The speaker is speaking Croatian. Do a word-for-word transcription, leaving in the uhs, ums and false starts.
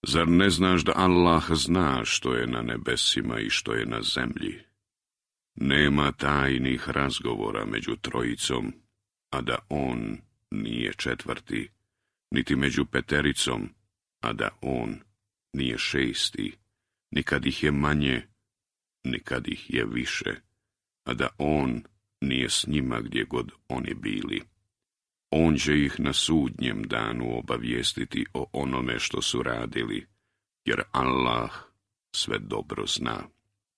Zar ne znaš da Allah zna što je na nebesima i što je na zemlji? Nema tajnih razgovora među trojicom, a da on nije četvrti, niti među petericom, a da on nije šesti, nikad ih je manje, nikad ih je više, a da on nije s njima gdje god oni bili. On će ih na sudnjem danu obavijestiti o onome što su radili, jer Allah sve dobro zna.